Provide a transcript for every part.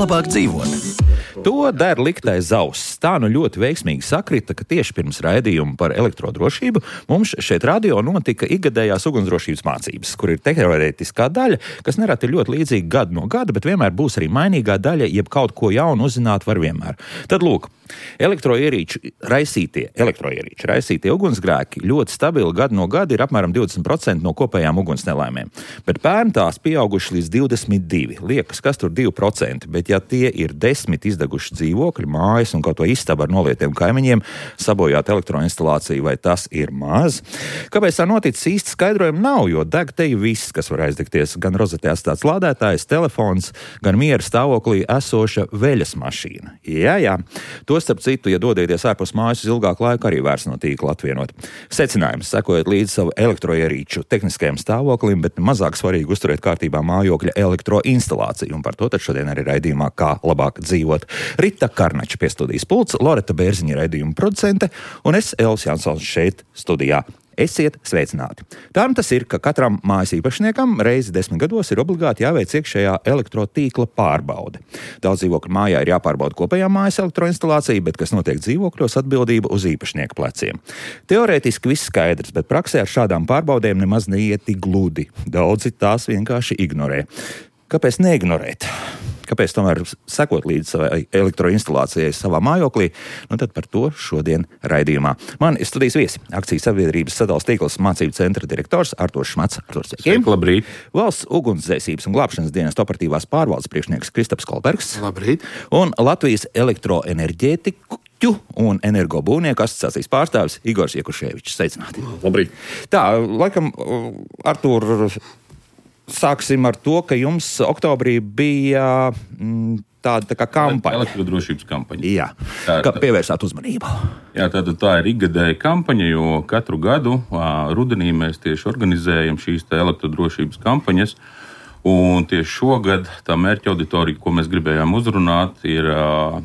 labāk dzīvot. To der liktais zauss. Tā nu ļoti veiksmīgi sakrita, ka tieši pirms raidījuma par elektrodrošību mums šeit radio notika ikgadējās ugunsdrošības mācības, kur ir teorētiskā daļa, kas nereti ir ļoti līdzīga gadu no gada, bet vienmēr būs arī mainīgā daļa, jeb kaut ko jaunu uzzināt var vienmēr. Tad lūk, elektroierīču raisītie ugunsgrēki ļoti stabili gadu no gada ir apmēram 20% no kopējām ugunsnelaimēm. Bet pērn tās pieauguši līdz 22%. Liekas, kas tur 2%, bet ja tie ir 10 izdeguši dzīvokļi, mājas un kaut ko istabu ar nolietiem kaimiņiem, sabojāt elektroinstalāciju, vai tas ir maz? Kāpēc tā noticis, īsti skaidrojumu nav, jo deg te viss, kas var aizdegties, gan rozetē atstāts lādētājs, telefons, gan miera stāvoklī esoša veļas mašīna. Jā. To starp citu, ja dodieties ārpus mājas uz ilgāku laiku, arī vairs no tīkla atvienot. Secinājums: sekojot līdz savu elektroierīču tehniskajam stāvoklim, bet mazāk svarīgi uzturēt kārtībā mājokļa elektroinstalāciju. Un par to tad šodien arī raidījumā Kā labāk dzīvot. Rita Karnača pie studijas pults, Loreta Bērziņa raidījuma producente un es, Elvis Jansons, šeit studijā. Esiet sveicināti. Tā tas ir, ka katram mājas īpašniekam reizi 10 gados ir obligāti jāveic iekšējā elektrotīkla pārbaude. Daudz dzīvokļu mājā ir jāpārbauda kopējā mājas elektroinstalācija, bet kas notiek dzīvokļos, atbildība uz īpašnieku pleciem. Teorētiski viss skaidrs, bet praksē ar šādām pārbaudēm nemaz neiet tik gludi. Daudzi tās vienkārši ignorē. Kāpēc neignorēt? Kāpēc tomēr sekot līdz savai elektroinstalācijai savā mājoklī? Tad par to šodien raidījumā. Man ir studijas viesi, akcijas sabiedrības sadales tīkls mācību centra direktors Arturs Šmats. Sveiki, labrīt. Valsts ugunsdzēsības un glābšanas dienas operatīvās pārvaldes priekšnieks Kristaps Kolbergs. Labrīt. Un Latvijas elektroenerģētiku un energobūvnieku asociācijas pārstāvis Igors Jekuševičs. Sveicināti. Labrīt. Tā, laikam, Artur, sāksim ar to, ka jums oktobrī bija tāda tā kā kampaņa. Elektrodrošības kampaņa. Jā, kā pievērsāt uzmanību. Jā, tā ir ikgadēja kampaņa, jo katru gadu rudenī mēs tieši organizējam šīs elektrodrošības kampaņas. Un tieši šogad tā mērķa auditorija, ko mēs gribējām uzrunāt, ir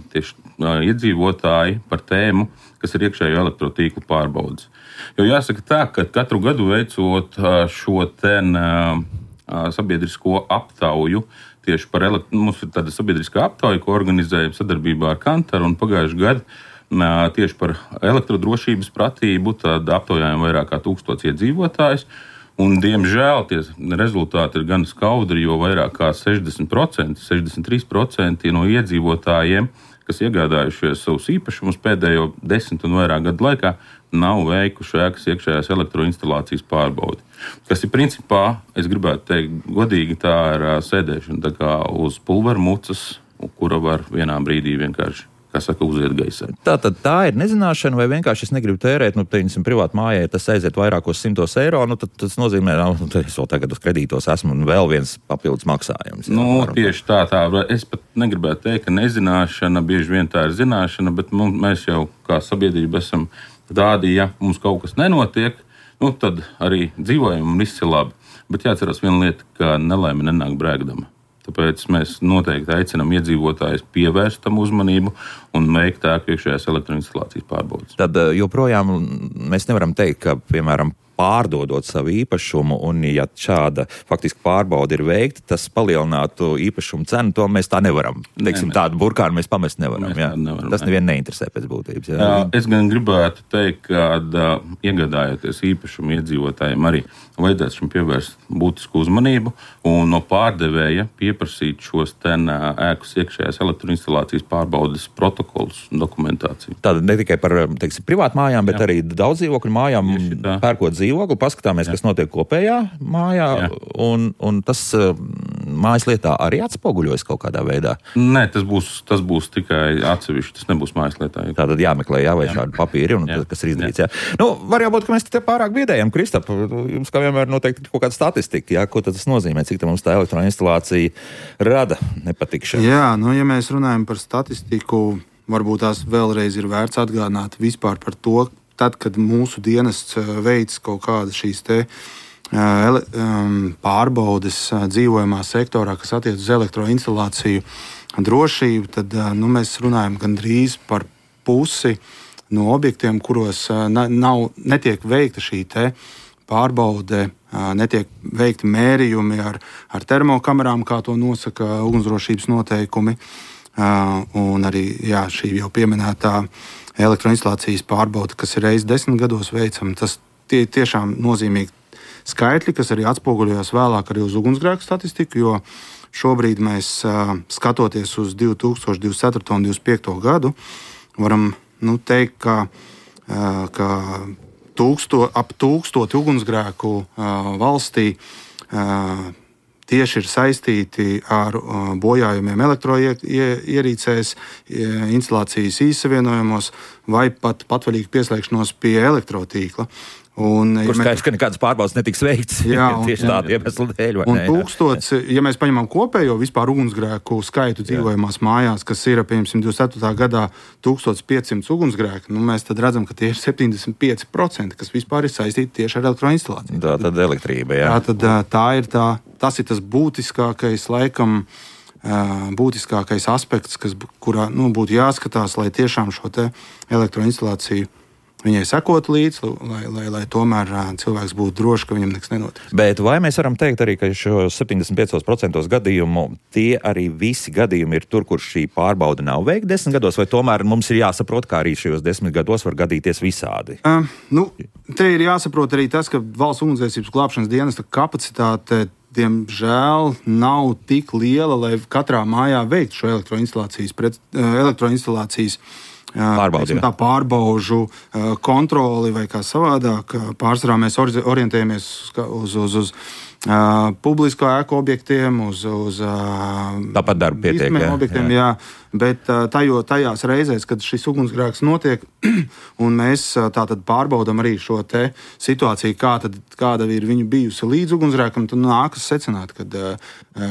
tieši iedzīvotāji par tēmu, kas ir iekšējo elektrotīklu pārbaudes. Jo jāsaka tā, ka katru gadu veicot šo sabiedrisko aptauju, tieši par mums ir tāda sabiedriskā aptauja, ko organizējam sadarbībā ar Kantaru, un pagājuši gadu tieši par elektrodrošības pratību, tad aptaujājam vairāk kā 1000 iedzīvotājus. Un, diemžēl, tie rezultāti ir gan skaudri, jo vairāk kā 60%, 63% no iedzīvotājiem, kas iegādājušies savus īpašumus pēdējo 10 un vairāk gadu laikā, nav veikuši ēkas iekšējās elektroinstalācijas pārbaudi. Kas ir principā, es gribētu teikt, godīgi, tā ir sēdēšana tā kā uz pulvermucas, kura var vienā brīdī vienkārši, kā saka, uziet gaisā. Tātad tā ir nezināšana, vai vienkārši es negribu tērēt, teiksim, privātu mājai, tas aiziet vairākos 100 eiro, tad tas nozīmē, es vēl tagad uz kredītos esmu un vēl viens papildus maksājums. Tieši tā. Es pat negribētu teikt, ka nezināšana, bieži vien tā ir zināšana, bet mēs jau kā sabiedrība esam tādi, ja mums kaut kas nenotiek, tad arī dzīvojam un viss ir labi. Bet jāatcerās viena lieta, ka nelaime nenāk brēgdama. Tāpēc mēs noteikti aicinām iedzīvotājus pievērst tam uzmanību un veikt ēku iekšējās elektroinstalācijas pārbaudes. Tad joprojām mēs nevaram teikt, ka, piemēram, pārdodot savu īpašumu, un ja šāda faktiski pārbaude ir veikta, tas palielinātu īpašumu cenu, to mēs tā nevaram. Tādu burkānu mēs pamest nevaram. Tas nevienu neinteresē pēc būtības. Jā. Es gan gribētu teikt, ka iegādājoties īpašumu iedzīvotājiem arī vajadzētu šim pievērst būtisku uzmanību un no pārdevēja pieprasīt šos ēkas iekšējās elektroinstalācijas pārbaudes protokolus un dokumentāciju. Tātad ne tikai par, privātu mājām, bet arī daudz dzīvokļu mājām pērkot dzīvokli, paskatāmies, kas notiek kopējā mājā, un tas mājas lietā arī atspoguļojas kaut kādā veidā. Nē, tas būs tikai atsevišķi, tas nebūs mājas lietā. Tātad jāmeklē, vai šādi papīri, un tas, kas ir izdarīts. Var jābūt, ka mēs te pārāk biedējam, Kristap, jums kā vienmēr noteikti kaut kāda statistika, ko tad tas nozīmē, cik mums tā elektroinstalācija rada nepatikšanu. Jā, ja mēs runājam par statistiku, varbūt tās vēlreiz ir vērts atgādināt vispār par to, tad, kad mūsu dienests veic kaut kādas šīs pārbaudes dzīvojamā sektorā, kas attiec uz elektroinstalāciju drošību, tad mēs runājam gandrīz par pusi no objektiem, kuros netiek veikta šī pārbaude netiek veikti mērījumi ar termokamerām, kā to nosaka ugunsdrošības noteikumi. Un arī šī jau pieminētā elektroinstalācijas pārbaude, kas ir reizes 10 gados veicama, tas tiešām nozīmīgi skaitļi, kas arī atspoguļojas vēlāk arī uz ugunsgrēku statistiku, jo šobrīd mēs, skatoties uz 2024. un 2025. gadu, varam teikt, ka ap 1000 ugunsgrēku valstī tieši ir saistīti ar bojājumiem elektroierīcēs, instalācijas īssavienojumos vai pat patvaļīgu pieslēgšanos pie elektrotīkla. Kur skaidrs, ka nekādas pārbaudes netiks veikts tieši tādu iemeslu dēļ. Un 1000, ja mēs paņemam kopējo vispār ugunsgrēku skaitu dzīvojamās mājās, kas ir, piemēram, 24. gadā 1500 ugunsgrēku, mēs tad redzam, ka tie ir 75%, kas vispār ir saistīti tieši ar elektroinstalāciju. Tā tad elektrība, jā. Tas ir tas būtiskākais, laikam, būtiskākais aspekts, kurā būtu jāskatās, lai tiešām šo te elektroinstalāciju viņai sekot līdzi, lai tomēr cilvēks būtu drošs, ka viņam nekas nenotiks. Bet vai mēs varam teikt arī, ka šo 75% gadījumu tie arī visi gadījumi ir tur, kur šī pārbaude nav veikta 10 gados, vai tomēr mums ir jāsaprot, kā arī šajos 10 gados var gadīties visādi? Te ir jāsaprot arī tas, ka valsts ugunsdzēsības glābšanas dienesta kapacitāte diemžēl nav tik liela, lai katrā mājā veiktu šo elektroinstalācijas pārbaužu kontroli vai kā savādāk. Pārsvarā mēs orientējamies uz publisko ēku objektiem, uz tāpat darba pietiek, objektiem, jā. Bet tajās reizēs, kad šis ugunsgrēks notiek, un mēs tātad pārbaudam arī šo te situāciju, kāda ir viņu bijusi līdz ugunsgrēkam, tad nākas secināt, ka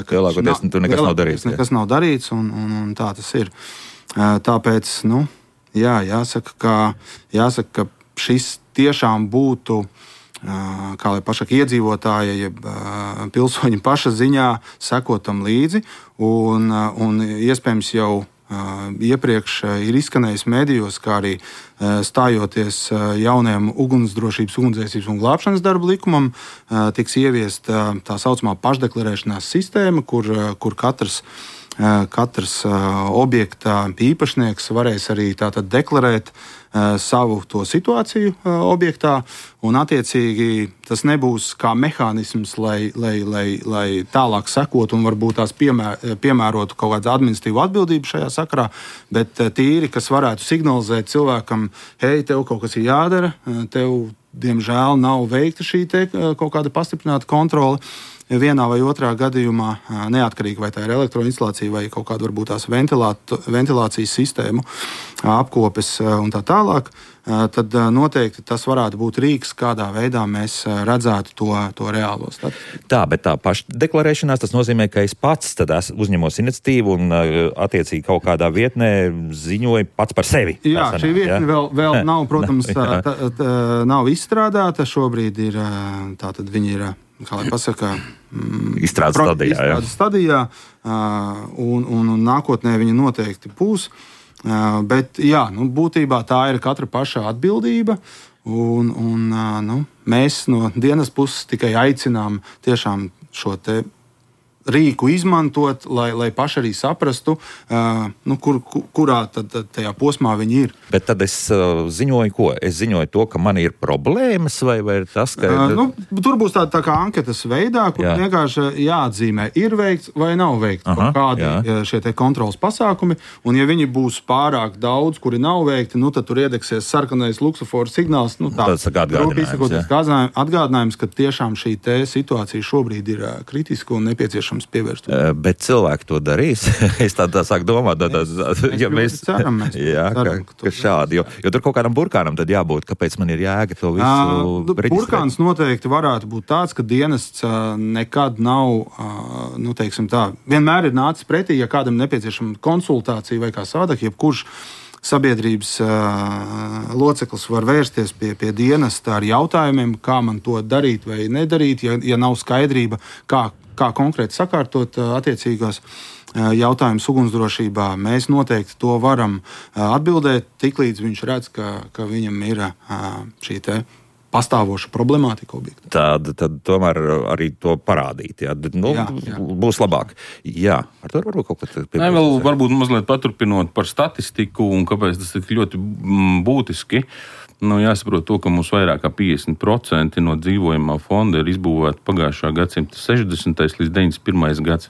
lielākoties tur nekas nav darīts. Nekas nav darīts, un tā tas ir. Tāpēc, jāsaka, ka šis tiešām būtu, kā lai pašak iedzīvotāja, jeb pilsoņi paša ziņā sekot tam līdzi, un iespējams jau iepriekš ir izskanējis medijos, kā arī stājoties jaunajam ugunsdrošības, ugunsdzēsības un glābšanas darba likumam, tiks ieviesta tā saucamā pašdeklarēšanās sistēma, kur katrs objekta īpašnieks varēs arī tātad deklarēt savu to situāciju objektā, un attiecīgi tas nebūs kā mehānisms, lai tālāk sekot un varbūt tās piemērotu kaut kādu administratīvu atbildību šajā sakarā, bet tīri, kas varētu signalizēt cilvēkam, hei, tev kaut kas ir jādara, tev, diemžēl, nav veikta šī te kaut kāda pastiprināta kontrole. Vienā vai otrā gadījumā, neatkarīgi vai tā ir elektroinstalācija vai kaut kāda varbūt tās ventilācijas sistēmu apkopes un tā tālāk, tad noteikti tas varētu būt rīks, kādā veidā mēs redzētu to reālo statistiku. Tā, bet tā pašdeklarēšanās, tas nozīmē, ka es pats tad uzņemos iniciatīvu un attiecīgi kaut kādā vietnē ziņoju pats par sevi. Jā, šī vietne vēl nav, protams, nav izstrādāta. Šobrīd ir, tātad viņi ir, kā lai pasaka, izstrādes stadijā, un nākotnē viņi noteikti būs. Bet, būtībā tā ir katra paša atbildība, un mēs no dienas puses tikai aicinām tiešām šo te rīku izmantot, lai paši arī saprastu, kurā tad tajā posmā viņi ir. Bet tad es ziņoju ko? Es ziņoju to, ka man ir problēmas, vai ir tas, ka... Tur būs tā kā anketas veidā, kur vienkārši jāatzīmē, ir veikts vai nav veikts kādi šie te kontrolas pasākumi, un ja viņi būs pārāk daudz, kuri nav veikti, tad tur iedeksies sarkanais luksofora signāls, tas atgādinājums, ka tiešām šī te situācija šobrīd ir kritiska un nepieciešama pievērst. Bet cilvēki to darīs. Es tā sāku domāt, mēs ceram, ka šādi, jo tur kaut kādam burkānam tad jābūt, kāpēc man ir jēga to visu reģistrēt. Burkāns noteikti varētu būt tāds, ka dienests nekad nav, teiksim tā, vienmēr ir nācis pretī, ja kādam nepieciešama konsultācija vai kā savādāk, jebkurš sabiedrības loceklis var vērsties pie dienesta ar jautājumiem, kā man to darīt vai nedarīt, ja nav skaidrība, kā konkrēti sakārtot attiecīgos jautājumus ugunsdrošībā. Mēs noteikti to varam atbildēt, tiklīdz viņš redz, ka viņam ir šī te pastāvošu problemātiku objektu. Tad tomēr arī to parādīt. Jā. Būs labāk. Jā, ar to varbūt kaut ko vēl varbūt mazliet paturpinot par statistiku un kāpēc tas ir ļoti būtiski. Jāsaprot to, ka mums vairāk kā 50% no dzīvojamā fonda ir izbūvēta pagājušā gadsimta 60. līdz 91. gads,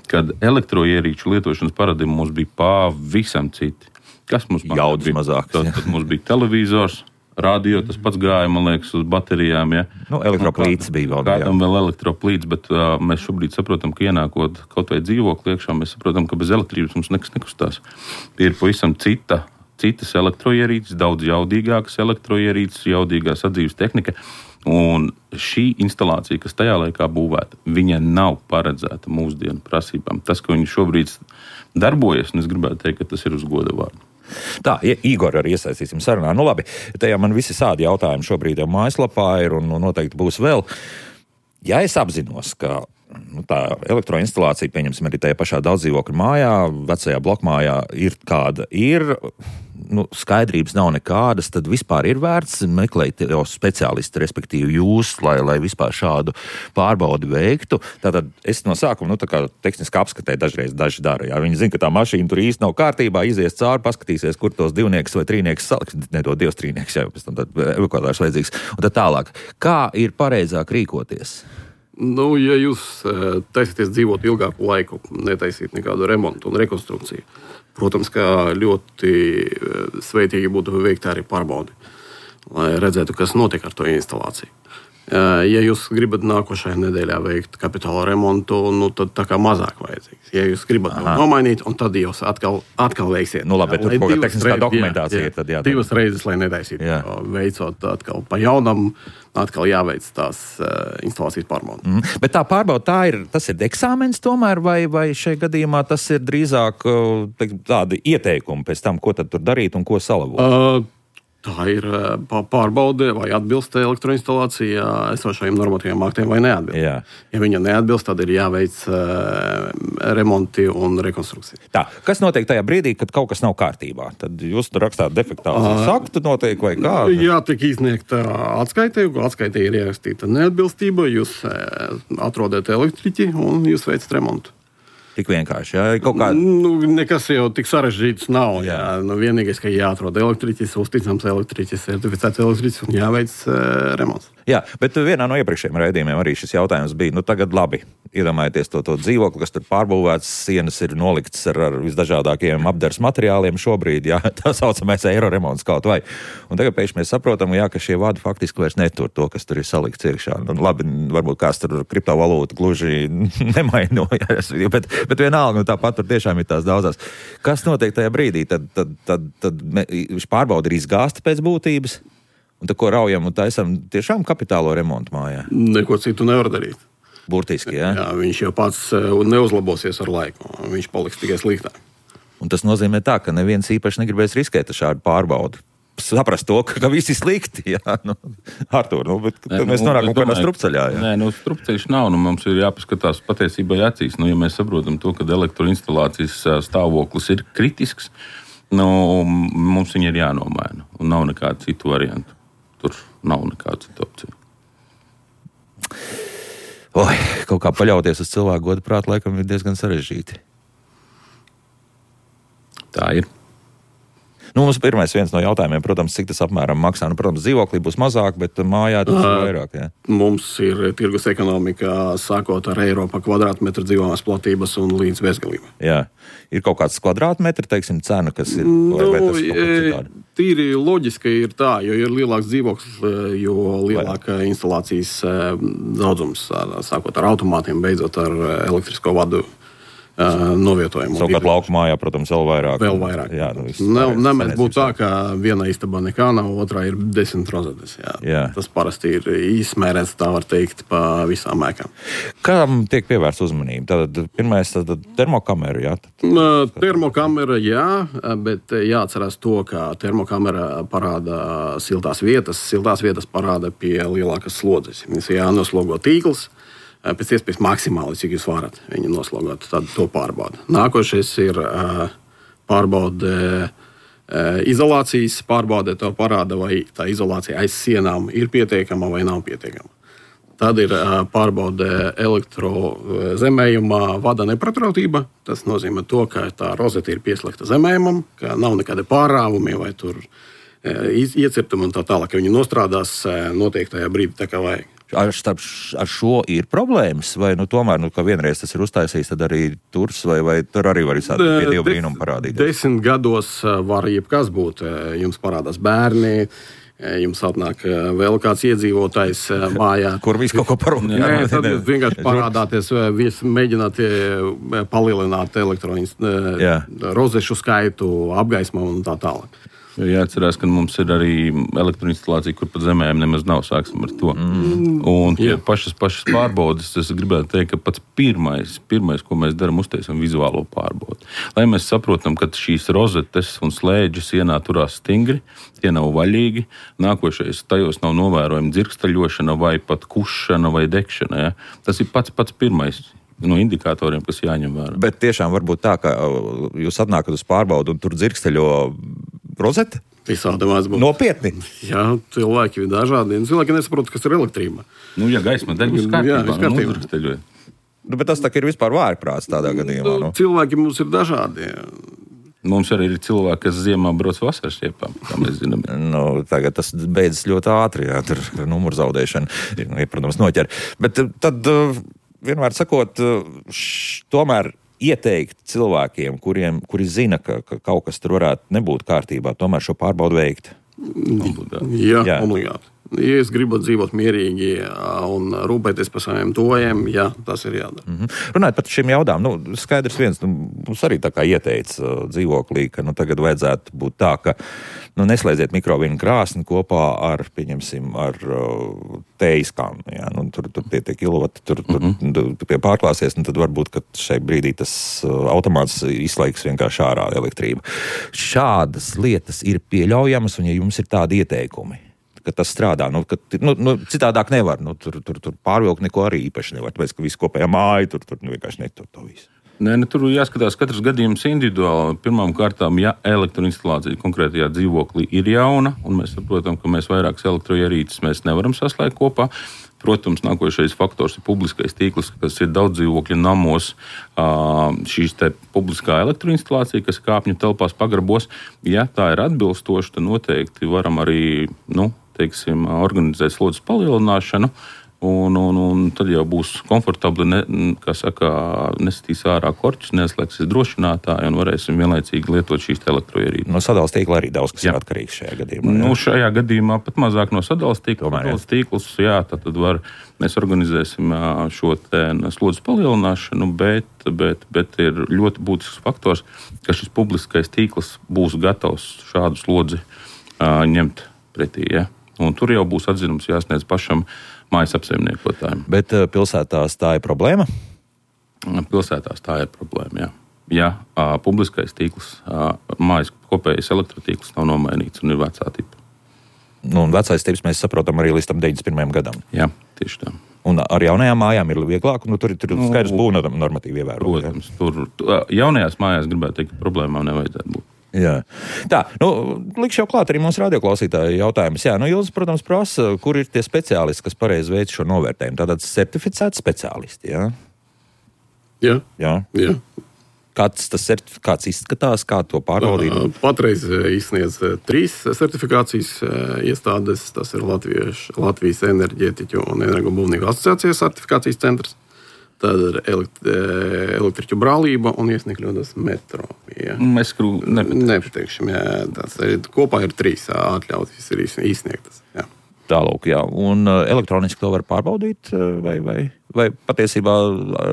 kad elektroierīču lietošanas paradigma mums bija pavisam citi. Kas mums bija? Jaudas mazāks. Tad mums bija televizors, radio, tas pats gāja, man liekas, uz baterijām. Ja? Elektroplīts bija vēl. Kādam vēl elektroplīts, bet mēs šobrīd saprotam, ka ienākot kaut vai dzīvokli iekšā, mēs saprotam, ka bez elektrības mums nekas nekustās. Ir pavisam citas elektroierīces, daudz jaudīgākas elektroierīces, jaudīgā sadzīves tehnika. Un šī instalācija, kas tajā laikā būvēta, viņa nav paredzēta mūsdienu prasībām. Tas, ka viņi šobrīd darbojas, un es gribētu teikt, ka tas ir uz goda vārdu. Tā, Igor arī iesaistīsim sarunā. Labi, tajā man visi sādi jautājumi šobrīd jau mājaslapā ir un noteikti būs vēl. Ja es apzinos, ka tā elektroinstalācija, pieņemsim arī tajā pašā daudzdzīvokļu mājā, vecajā blokmājā ir kāda ir, skaidrības nav nekādas, tad vispār ir vērts meklēt jau speciālistu, respektīvi jūs, lai vispār šādu pārbaudi veiktu. Tātad es no sākuma, tā kā tehniski apskatē daži dara. Jā. Viņi zina, ka tā mašīna tur īsti nav kārtībā, izies cauri, paskatīsies, kur tos divnieks vai trīnieks salikt, nedod Dievs trīnieks, jā, pēc tam tad evakuātārs vajadzīgs. Un tad tālāk, kā ir pareizāk rīkoties? Ja jūs taisaties dzīvot ilgāku laiku, netaisīt nekādu remontu un rekonstrukciju, protams, ka ļoti sveitīgi būtu veikt arī pārbaudi, lai redzētu, kas notiek ar to instalāciju. Ja jūs gribat nākošajā nedēļā veikt kapitāla remontu, tad tā kā mazāk vajadzīgs. Ja jūs gribat nomainīt, un tad jūs atkal veiksiet. Labi, bet tur kaut kā tehniskā dokumentācija ir tad jādara. Divas reizes, lai netaisītu. Veicot atkal pa jaunam, atkal jāveic tās instalācijas pārbauda. Bet tā pārbauda, tas ir eksāmens tomēr, vai šajā gadījumā tas ir drīzāk tādi ieteikumi pēc tam, ko tad tur darīt un ko salabot? Tā ir pārbaude, vai atbilst elektroinstalācija esošajiem normatīviem aktiem vai neatbilst. Jā. Ja viņa neatbilst, tad ir jāveic remonti un rekonstrukcija. Tā, kas notiek tajā brīdī, kad kaut kas nav kārtībā? Tad jūs tur rakstāt defektācijas aktu notiek vai kā? Jā, tiek izsniegta atskaite, atskaitē ir ierakstīta neatbilstība, jūs atrodat elektriķi un jūs veicat remontu. Tik vienkārši, jā? Kaut kā... Nekas jau tik sarežģīts nav. Jā. Vienīgais, ka jāatrod elektriķis, uzticams elektriķis, certificēts elektriķis un jāveic remonts. Jā, bet vienā no iepriekšējiem raidījumiem arī šis jautājums bija, tagad labi, iedomājieties to dzīvokli, kas tur pārbūvēts, sienas ir noliktas ar visdažādākajiem apdars materiāliem šobrīd, jā, tā saucamais eiro remonts kaut vai. Un tagad pēkšņi mēs saprotam, jā, ka šie vadi faktiski vairs netur to, kas tur ir salikts iekšā. Labi, varbūt kāds tur kriptovalūta gluži nemainojas, bet vienalga, tāpat tur tiešām ir tās daudzās. Kas notiek tajā brīdī? Tad pārbauda ir izgāsta pēc būtības? Un tad, ko raujam un taisam tiešām kapitālo remontu mājā? Neko citu nevar darīt. Burtiski, jā? Jā, viņš jau pats neuzlabosies ar laiku. Viņš paliks tikai sliktāk. Un tas nozīmē tā, ka neviens īpaši negribēs riskēt ar šādu pārbaudu. Saprast to, ka viss ir slikti, jā. Artūr, bet mēs nonākam kādā strupceļā, jā. Nē, strupceļš nav, mums ir jāpaskatās patiesībai acīs. Ja mēs saprotam to, ka elektroinstalācijas stāvoklis ir kritisks, mums viņi ir jānomaina. Un nav nekāda citu variantu. Tur nav nekāda cita opcija. Kaut kā paļauties uz cilvēku godu prātu laikam ir diezgan sarežģīti. Tā ir. Mums viens no jautājumiem, protams, cik tas apmēram maksā. Protams, dzīvoklī būs mazāk, bet mājā tas ir vairāk. Jā. Mums ir tirgus ekonomika sākot ar eiro pa kvadrātmetru dzīvojamās platības un līdz bezgalībai. Jā. Ir kaut kāds kvadrātmetri, teiksim, cena, kas ir? Tīri loģiski ir tā, jo ir lielāks dzīvoklis, jo lielāka instalācijas daudzums, sākot ar automātiem, beidzot ar elektrisko vadu novietojumu. Savukārt laukumā, protams, vēl vairāk. Jā, Nemēdz būt tā, ka vienā istabā nekā nav, otrā ir 10 rozetes. Jā. Tas parasti ir izmērēts, tā var teikt, pa visām ēkām. Kādam tiek pievērsta uzmanība? Tad pirmais termokamera, jā? Termokamera, jā, bet jāatcerās to, ka termokamera parāda siltās vietas. Siltās vietas parāda pie lielākas slodzes. Jānoslogo tīkls. Pēc iespējas maksimāli, cik jūs varat viņu noslogot, tad to pārbauda. Nākošais ir pārbaude Izolācijas pārbaudē to parāda, vai tā izolācija aiz sienām ir pietiekama vai nav pietiekama. Tad ir pārbaude elektrozemējumā vada nepatrautība. Tas nozīmē to, ka tā rozete ir pieslēgta zemējumam, ka nav nekādi pārāvumi vai tur iecirtumi un tā tālāk, ka viņi nostrādās noteiktajā brīdī tā kā vajag. Ar šo ir problēmas, vai tomēr, ka vienreiz tas ir uztaisījis, tad arī turs, vai tur arī var visādi pie Dieva brīnuma parādīties? 10 gados var jebkas būt. Jums parādās bērni, jums atnāk vēl kāds iedzīvotājs mājā. Kur viss kaut ko parunā. Nē, tad jūs vienkārši parādāties, mēģināt palielināt rozešu skaitu, apgaismu un tā tālāk. Jāatcerās, ka mums ir arī elektroinstalācija, kur pat zemēm nemaz nav, sāksim ar to. Un pašas pārbaudes, es gribētu teikt, ka pats pirmais, ko mēs darām, uztaisam vizuālo pārbaudi. Lai mēs saprotam, ka šīs rozetes un slēdži sienā turās stingri, tie nav vaļīgi, nākošais tajos nav novērojama dzirkstaļošana vai pat kušana vai degšana. Ja? Tas ir pats pirmais no indikatoriem, kas jāņem vērā. Bet tiešām var būt tā, ka jūs atnākat uz pārbaudu un tur dzirksteļo rozete? Visādi vairs būs. Nopietni? Jā, cilvēki ir dažādi. Cilvēki nesaprot, kas ir elektrība. Ja gaisma deg, viss kārtībā. Bet tas tā ir vispār vājprāts tādā gadījumā. Cilvēki mums ir dažādi. Mums arī ir cilvēki, kas ziemā brauc vasaras iepām, kā mēs zinām. Tagad tas beidzas ļoti ātri, tur numuru zaudēšana, protams, noķer. Bet tad, vienmēr sakot, tomēr ieteikt cilvēkiem, kuri zina, ka kaut kas tur varētu nebūt kārtībā, tomēr šo pārbaudu veikt? Jā, obligāti. Ja es gribu dzīvot mierīgi un rūpēties par saviem tuvajiem, jā, tas ir jādara. Runājot par šiem jautājumiem, skaidrs viens, mums arī tā kā ieteica dzīvoklī, ka tagad vajadzētu būt tā, ka neslēdziet mikrovīnu krāsni kopā ar, pieņemsim, ar tējiskām. Ja? Tur tie kilovati, tur pie pārklāsies, tad varbūt, ka šai brīdī tas automāts izslēgs vienkārši ārā elektrību. Šādas lietas ir pieļaujamas, un ja jums ir tādi ieteikumi, ka tas strādā. Citādāk nevar. Tur pārvilkt neko arī īpaši nevar. Tāpēc, ka visu kopējā māja tur vienkārši netur to visu. Tur jāskatās katrs gadījums individuāli. Pirmām kārtām, ja elektroinstalācija konkrētajā dzīvoklī ir jauna, un mēs saprotam, ka mēs vairākas elektroierīces mēs nevaram saslēgt kopā, protams, nākošais faktors ir publiskais tīkls, kas ir daudz dzīvokļu namos, šīs te publiskā elektroinstalācija, kas kāpņu telpās pagrabos. Ja tā ir atbilstoša, tad noteikti varam arī, organizēt slodzes palielināšanu, un tad jau būs komfortabli, nesitīs ārā korķus, neslēgsies drošinātāji un varēsim vienlaicīgi lietot šīs elektroierīces. No sadales tīkla arī daudz kas ir atkarīgs šajā gadījumā. Šajā gadījumā pat mazāk no sadales tīkla. Sadales tīkls, tad mēs organizēsim šo slodzes palielināšanu, bet ir ļoti būtisks faktors, ka šis publiskais tīkls būs gatavs šādu slodzi ņemt pretī. Ja? Un tur jau būs atzinums jāsniedz pašam mājas apsaimniekotājiem. Bet pilsētās tā ir problēma? Pilsētās tā ir problēma, jā. Ja publiskais tīkls, mājas kopējais elektrotīkls nav nomainīts un ir vecā tipa. Un vecais tips mēs saprotam arī līdz tam 91. gadam. Jā, tieši tā. Un ar jaunajām mājām ir vieglāk, tur ir skaidrs būvna normatīvi ievērot. Protams, tur jaunajās mājās gribētu teikt, ka problēmām nevajadzētu būt. Jā. Tā, likšu jau klāt arī mūsu radioklausītāju jautājumus. Jā, Ilze, protams, prasa, kur ir tie speciālisti, kas pareizi veic šo novērtējumu. Tātad certificēti speciālisti, jā? Jā. Kāds tas certifikāts izskatās, kā to pārbaudīt? Patreiz izsniedz 3 certifikācijas iestādes. Tas ir Latvijas enerģētiķu un energobūvnieku asociācijas certifikācijas centrs. Tad ir elektriķu brālība un iesniegļotas metro. Jā. Mēs nepateikšam, tas ir kopā ir 3 atļautas ir izsniegtas. Jā. Tālūk, jā. Un elektroniski to var pārbaudīt vai patiesībā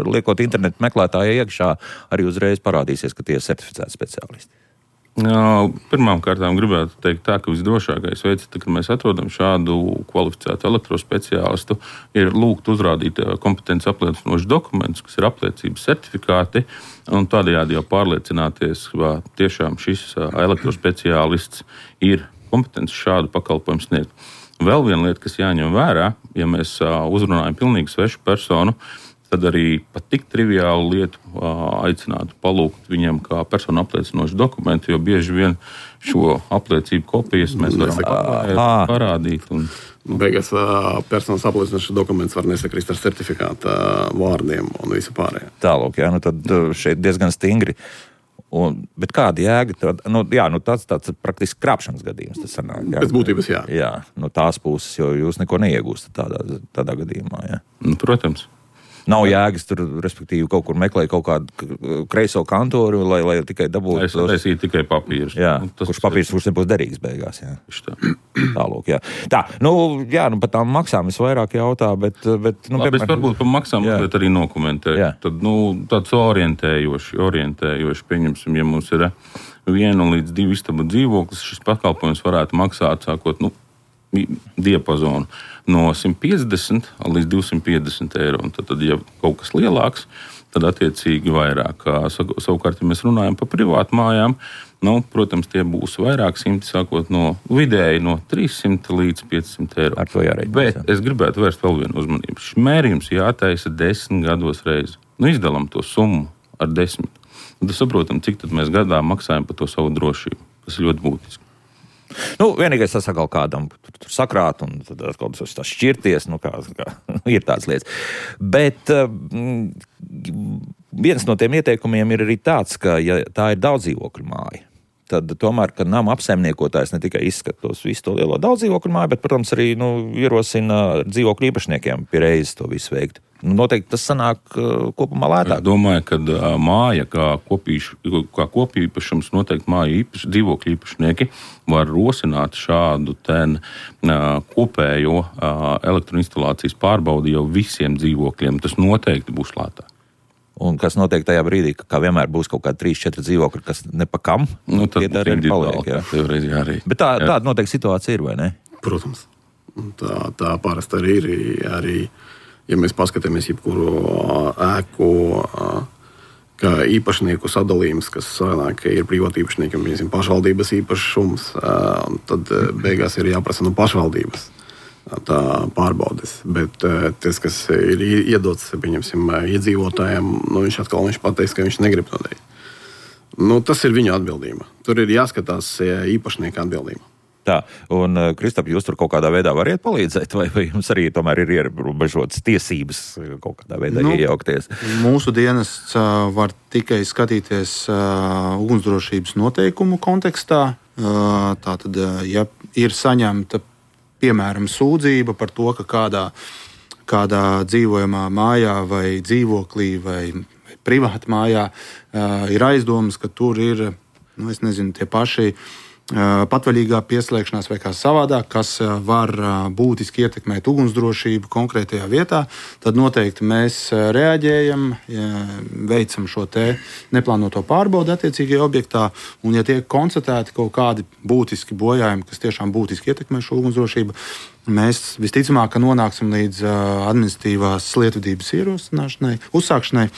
liekot internetu meklētāju iekšā arī uzreiz parādīsies, ka tie ir certificēti speciālisti? Pirmām kārtām gribētu teikt tā, ka visdrošākais veids, kad mēs atrodam šādu kvalificētu elektrospeciālistu, ir lūgt uzrādīt kompetenci apliecinošus dokumentus, kas ir apliecības certifikāti, un tādējādi jau pārliecināties, vai tiešām šis elektrospeciālists ir kompetents šādu pakalpojumu sniegt. Vēl viena lieta, kas jāņem vērā, ja mēs uzrunājam pilnīgi svešu personu, tad arī pat tik triviālu lietu aicinātu palūgt viņiem kā personu apliecinošu dokumentu, jo bieži vien šo apliecību kopijas mēs varam parādīt. Beigās personas apliecinošs dokuments var nesakrist ar certifikāta vārdiem un visu pārējo. Tālūk, jā, nu tad šeit diezgan stingri. Bet kāda jēga? Tas praktiski krāpšanas gadījums. Tas sanāk, jā. Pēc būtības, jā. Jā, no tās puses, jo jūs neko neiegūstat tādā gadījumā. Jā. Protams. Nav jēgas tur, respektīvi, kaut kur meklēt kaut kādu kreiso kantoru, lai tikai dabūtu. Es taisīju tikai papīrus. Jā, kurš nebūs derīgs beigās. Jā. Tālūk, jā. Tā, par tām maksām es vairāk jautā, bet es varbūt par maksām mazliet arī nokomentēju. Tad, tāds orientējoši, pieņemsim, ja mums ir 1 līdz 2 istabu dzīvoklis, šis pakalpojums varētu maksāt, sākot, diapazonu no 150 līdz 250 eiro. Un tad, ja kaut kas lielāks, tad attiecīgi vairāk. Savukārt, ja mēs runājam par privātu mājām, protams, tie būs vairāk simti, sākot no vidēji no 300 līdz 500 eiro. Ar to jārēķinās. Bet es gribētu vērst vēl vienu uzmanību. Šis mērījums jātaisa 10 gados reizi. Izdalām to summu ar 10. Un tad saprotam, cik tad mēs gadā maksājam par to savu drošību. Tas ir ļoti būtiski. Vienīgais tas atkal kādam tur sakrāt un tad atkal tas šķirties, ir tādas lietas. Bet viens no tiem ieteikumiem ir arī tāds, ka, ja tā ir daudzdzīvokļu māja, tad tomēr, ka nama apsaimniekotājs ne tikai izskatos visu to lielo daudzdzīvokļu māju, bet, protams, arī ierosina dzīvokļu īpašniekiem pie reizes to visu veikt. Noteikti tas sanāk kopumā lētāk. Es domāju, ka māja kā kopīpašums noteikti māju dzīvokļu īpašnieki var rosināt šādu kopējo elektroinstalācijas pārbaudi jau visiem dzīvokļiem. Tas noteikti būs lētāk. Un kas notiek tajā brīdī, ka vienmēr būs kaut kādi 3-4 dzīvokļi, kas nepakam? Tad arī paliek. Bet tāda noteikti situācija ir, vai ne? Protams. Tā parasti arī ir. Arī, ja mēs paskatāmies jebkuru ēku, kā īpašnieku sadalījums, kas sanāk, ir privāti īpašnieki un pašvaldības īpašums, tad beigās ir jāprasa no pašvaldības tā pārbaudes. Bet tas, kas ir iedots, pieņemsim, iedzīvotājiem, viņš pateiks, ka viņš negrib to darīt. Tas ir viņa atbildība. Tur ir jāskatās īpašnieka atbildība. Tā, un Kristap, jūs tur kaut kādā veidā variet palīdzēt, vai jums arī tomēr ir ierobežotas tiesības kaut kādā veidā iejaukties? Mūsu dienests var tikai skatīties ugunsdrošības noteikumu kontekstā. Tātad, ja ir saņemta, piemēram, sūdzība par to, ka kādā dzīvojamā mājā vai dzīvoklī vai privāta mājā ir aizdomas, ka tur ir, tie paši patvaļīgā pieslēgšanās vai kā savādāk, kas var būtiski ietekmēt ugunsdrošību konkrētajā vietā, tad noteikti mēs reaģējam, veicam šo neplānoto pārbaudi attiecīgajā objektā, un ja tiek konstatēti kaut kādi būtiski bojājumi, kas tiešām būtiski ietekmē šo ugunsdrošību, mēs visticamāk nonāksim līdz administratīvās lietvedības ierosināšanai, uzsākšanai,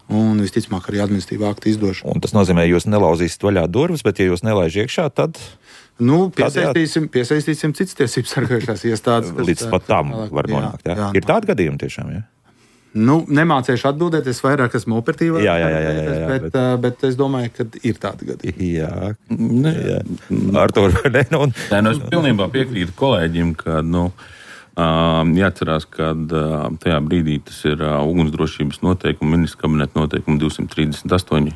un visticamāk arī administratīvā akta izdošana. Un tas nozīmē, ka jūs nelauzīsiet vaļā durvis, bet ja jūs nelaiž iekšā, tad... Piesaistīsim citas tiesības sargājušās iestādes. Līdz pat tam var nonākt, jā? Ir tādi gadījumi tiešām, jā? Nemācēšu atbildēt, es vairāk esmu operatīvā. Jā, bet es domāju, ka ir tādi gadījumi. Jā. Artur, vai ne? Es pilnībā piekrītu kolēģim, ka, jāatcerās, ka tajā brīdī tas ir ugunsdrošības noteikuma, ministra kabineta noteikuma 238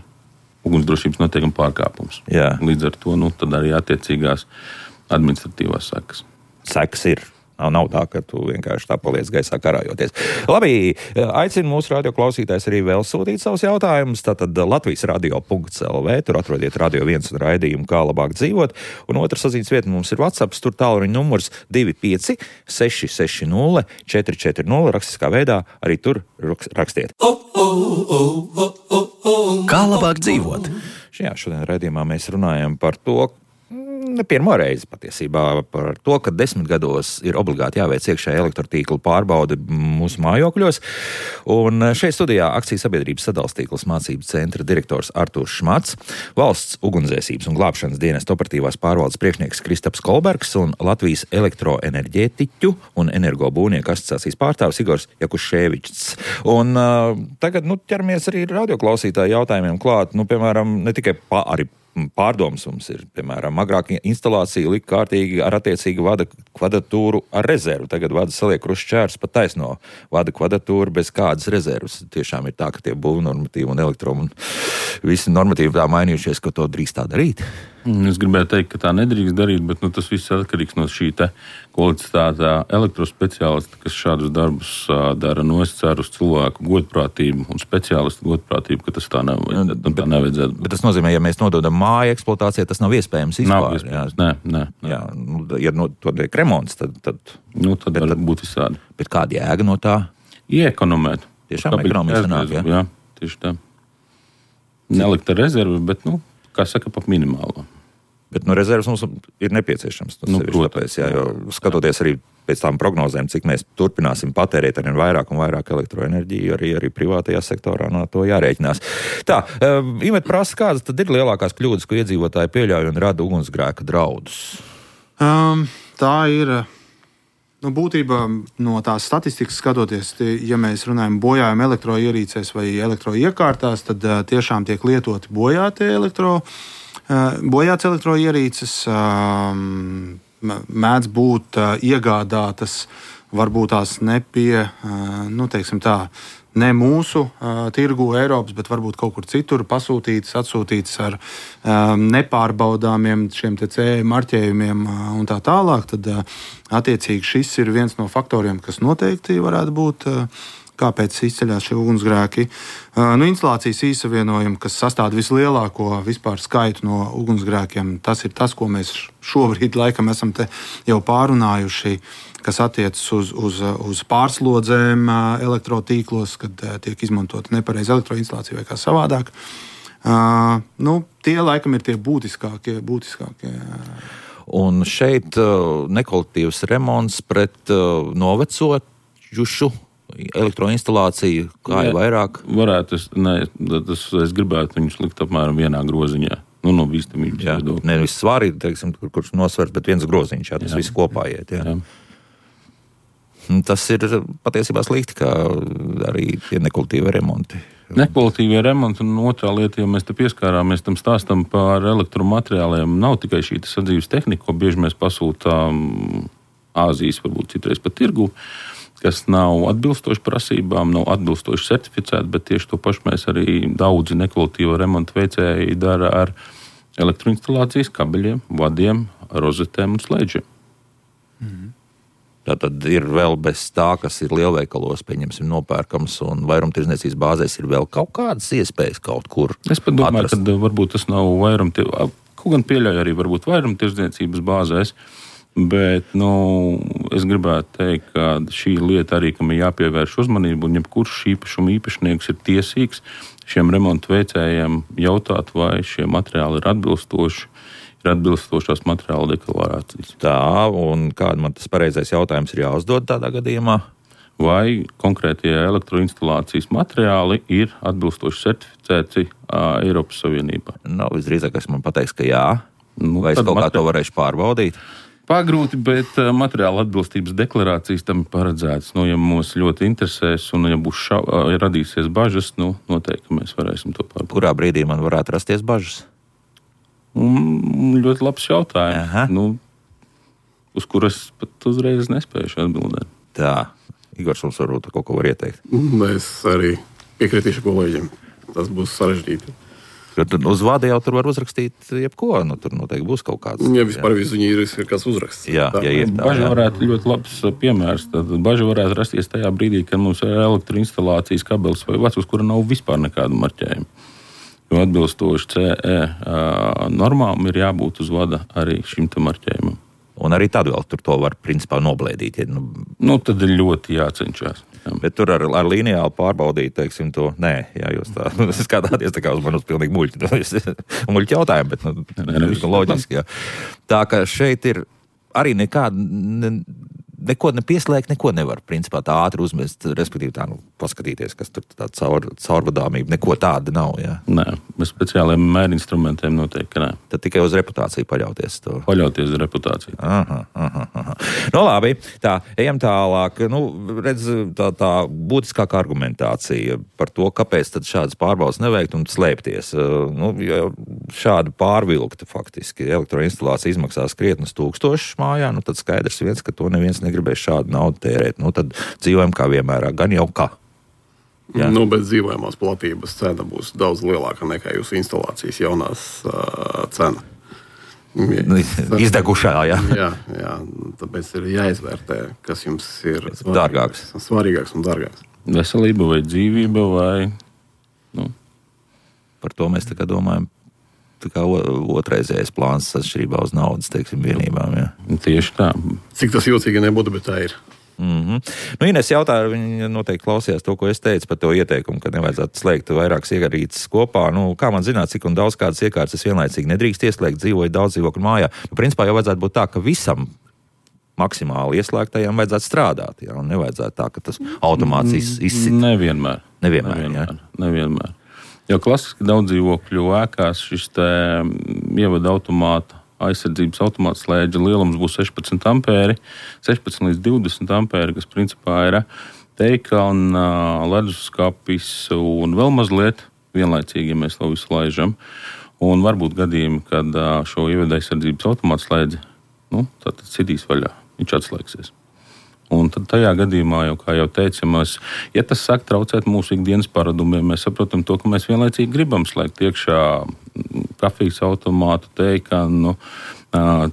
ugunsdrošības noteikuma pārkāpums. Jā. Līdz ar to tad arī attiecīgās administratīvās sekas. Sekas ir. Nav tā, ka tu vienkārši tā paliec gaisā karājoties. Labi, aicinu mūsu radioklausītājs arī vēl sūtīt savus jautājumus. Tātad Latvijas radio.lv, tur atrodiet Radio 1 un raidījumu Kā labāk dzīvot. Un otra saziņas vieta mums ir WhatsApp, tur tālruņa numurs 25 660 440. Rakstiskā veidā arī tur rakstiet. Kā labāk dzīvot? Šodien raidījumā mēs runājam par to, ne pirmo reizi patiesībā par to, ka 10 gados ir obligāti jāveic iekšējā elektrotīkla pārbaude mūsu mājokļos. Un šeit studijā akciju sabiedrības sadalstīklas mācību centra direktors Artūrs Šmats, valsts ugunsdzēsības un glābšanas dienesta operatīvās pārvaldes priekšnieks Kristaps Kolbergs un Latvijas elektroenerģētiķu un energobūvnieku asociācijas pārstāvis Igors Jakuševičs. Un tagad ķeramies arī radioklausītāju jautājumiem klāt. Piemēram, ne tikai arī pārdomas mums ir, piemēram, agrāk instalācija lika kārtīgi ar attiecīgu vada kvadratūru ar rezervu. Tagad vada saliek krušķērs pa taisno vada kvadratūru bez kādas rezervas. Tiešām ir tā, ka tie būvnormatīvi un elektrom un visi normatīvi tā mainījušies, ka to drīkst tā darīt. Es gribēju teikt, ka tā nedrīkst darīt, bet tas viss atkarīgs no šī kvalitātā elektrospeciālista, kas šādus darbus dara. Es ceru uz cilvēku godprātību un speciālistu godprātību, ka tas tā nevajadzētu. Bet tas nozīmē, ja mēs nododam māju eksploatācijai, tas nav iespējams vispār. Nav iespējams, nē. Jā, ja to tiek remonts, tad var būt visādi. Bet kāda jēga no tā? Iekonomēt. Tiešām ekonomiski sanāk, jā? Jā, tieši tā. Nelikt ar rezervi, bet, kā saka, pa minimālo. Bet rezerves mums ir nepieciešams. Tāpēc, jo skatoties arī pēc tām prognozēm, cik mēs turpināsim patērēt ar vairāk un vairāk elektroenerģiju, arī privātajā sektorā no to jārēķinās. Tā, Imet prasa, kādas tad ir lielākās kļūdas, ko iedzīvotāji pieļauj un rada ugunsgrēka draudus? Tā ir... būtībā no tās statistikas skatoties, ja mēs runājam bojājam elektroierīcēs vai elektroiekārtās, tad tiešām tiek lietoti bojāts elektroierīces, mēdz būt iegādātas, varbūt tās ne mūsu tirgu Eiropas, bet varbūt kaut kur citur atsūtītas ar nepārbaudāmiem šiem CE marķējumiem un tā tālāk, tad attiecīgi šis ir viens no faktoriem, kas noteikti varētu būt, kāpēc izceļās šie ugunsgrēki. Instalācijas īsavienojumi, kas sastāv vislielāko vispār skaitu no ugunsgrēkiem, tas ir tas, ko mēs šobrīd laikam esam te jau pārunājuši, kas attiecas uz pārslodzēm elektrotīklos, kad tiek izmantota nepareiza elektroinstalācija vai kā savādāk. Tie laikam ir tie būtiskākie. Un šeit nekvalitīvs remonts pret novecojušu elektroinstalāciju, kā ir vairāk? Varētu, es gribētu viņus likt apmēram vienā groziņā. No bīstamības viedokļa. Nevis svāri, kurš nosvers, bet viens groziņš, tas viss kopā iet. Jā. Tas ir patiesībā slikti, kā arī tie nekvalitīvie remonti. Nekvalitīvie remonti un otrā lieta, ja mēs te pieskārāmies tam stāstam par elektromateriāliem, nav tikai šī sadzīves tehnika, ko bieži mēs pasūtām Āzijas, varbūt citreiz pat tirgu, kas nav atbilstoši prasībām, nav atbilstoši certificēti, bet tieši to pašu mēs arī daudzi nekvalitīvo remontu veicēji dara ar elektroinstalācijas kabeļiem, vadiem, rozetēm un slēdžiem. Tātad ir vēl bez tā, kas ir lielveikalos, pieņemsim, nopērkams un vairumtirdzniecības bāzēs ir vēl kaut kādas iespējas kaut kur atrast. Es pat domāju, ka varbūt tas nav kaut gan pieļauj arī varbūt vairumtirdzniecības bāzēs, bet, es gribētu teikt, ka šī lieta arī, kam ir jāpievērš uzmanību, un jebkurš īpašuma īpašnieks ir tiesīgs šiem remontu veicējiem jautāt, vai šie materiāli ir atbilstošās materiāla deklarācijas. Tā, un kāda man tas pareizais jautājums ir jāuzdod tādā gadījumā? Vai konkrētie elektroinstalācijas materiāli ir atbilstoši certificēti Eiropas Savienībā? Visdrīzāk, es man pateiks, ka jā. Vai es kaut kā to varēšu pārbaudīt? Pagrūti, bet materiāla atbilstības deklarācijas tam ir paredzētas. Ja mūs ļoti interesēs un ja būs radīsies bažas, noteikti mēs varēsim to pārbaudīt. Kurā brīdī man varētu rasties bažas? Ļoti labs jautājums, uz kuras pat uzreiz nespējuši atbildēt. Tā, Igors, mums varbūt kaut ko var ieteikt. Es arī piekritīšu kolēģiem. Tas būs sarežģīti. Uz vada jau tur var uzrakstīt jebko, tur noteikti būs kaut kāds. Ja vispār viņi ir kāds uzraksts. Jā, baža varētu ļoti labs piemērs. Tad baža varētu rasties tajā brīdī, kad mums ir elektroinstalācijas kabelis vai vads, uz kura nav vispār nekādu marķējumu. Jo atbilstoši CE normām ir jābūt uz vada arī šim te marķējumam. Un arī tad vēl tur to var principā noblēdīt. Ja, Tad ir ļoti jācenšas. Bet tur ar lineāli pārbaudīt, teiksim, to nē, jā, jūs tā skatāties tā kā uz manus pilnīgi muļķi jautājumu, bet loģiski, jā. Tā ka šeit ir arī neko nepieslēgt, neko nevar, principā tā ātri uzmest, respektīvi tā, paskatīties, kas tur tā caurvadāmība, neko tāda nav, jā. Nē, bez speciāliem mērinstrumentiem noteikti, ka nē. Tad tikai uz reputāciju paļauties to. Paļauties uz reputāciju. Aha. Labi, tā, ejam tālāk. Redz, tā būtiskākā argumentācija par to, kāpēc tad šādas pārbaudas neveikt un slēpties. Ja šāda pārvilkta faktiski elektroinstalācija izmaksās krietnes tūkstošus mājā, tad skaidrs viens, ka to neviens negribēs šādu naudu tērēt. Tad dzīvojam kā vienmēr, gan jau kā. Jā. Bet dzīvojamās platības cena būs daudz lielāka nekā jūsu instalācijas jaunās cena. Izdegušā, jā. Jā, tāpēc ir jāizvērtē, kas jums ir svarīgāks un dārgāks. Veselība vai dzīvība vai... Par to mēs tā kā domājam. Tā kā otrreizējais plāns atšķirībā uz naudas, teiksim, vienībām. Jā. Tieši tā. Cik tas jūtīgi nebūtu, bet tā ir. Ines jautāja, viņa noteikti klausījās to, ko es teicu par to ieteikumu, ka nevajadzētu slēgt vairākas iekārtas kopā. Kā man zināt, cik un daudz kādas iekārtas es vienlaicīgi nedrīkst ieslēgt, dzīvoju daudz dzīvokļu mājā? Principā jau vajadzētu būt tā, ka visam maksimāli ieslēgtajām vajadzētu strādāt. Jā, un nevajadzētu tā, ka tas automāts izsit. Nevienmēr. Nevienmēr. Jo klasiski daudz dzīvokļu ēkās šis ievada automāta aizsardzības automāta slēdža lielums būs 16 ampēri, 16 līdz 20 ampēri, kas principā ir teika un leduskapis un vēl mazliet vienlaicīgi, ja mēs to visu laižam. Un varbūt gadījumi, kad šo ievada aizsardzības automāta slēdzi, tad citīs vaļā, viņš atslēgsies. Un tad tajā gadījumā, kā jau teicamās, ja tas sāk traucēt mūsu ikdienas paradumiem, mēs saprotam to, ka mēs vienlaicīgi gribam slēgt iekšā kafijas automātu, teikanu,